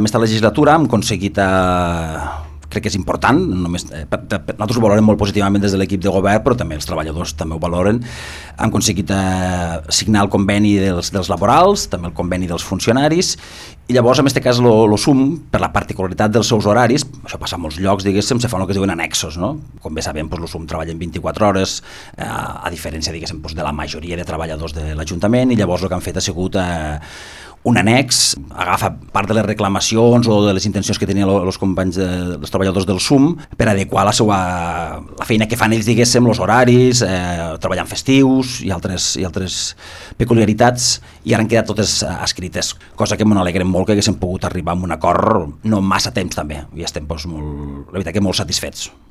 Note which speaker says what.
Speaker 1: En aquesta legislatura hem aconseguit, crec que és important, nosaltres ho valorem molt positivament des de l'equip de govern, però també els treballadors també ho valoren. Hem aconseguit signar el conveni dels laborals, també el conveni dels funcionaris, i llavors, en aquest cas, el SUM, per la particularitat dels seus horaris, això passa a molts llocs, diguéssim, se fan el que es diuen annexos, no? Com bé sabem, el SUM treballa en 24 hores, a diferència, diguéssim, de la majoria de treballadors de l'Ajuntament, i llavors el que han fet ha sigut un annex, agafa part de les reclamacions o de les intencions que tenien els companys, els treballadors del SUM, per adequar la feina que fan ells, diguéssim, els horaris, treballant festius i altres peculiaritats, i ara han quedat totes escrites, cosa que m'alegrem molt que haguéssim pogut arribar a un acord no massa temps també, i estem la veritat que molt satisfets.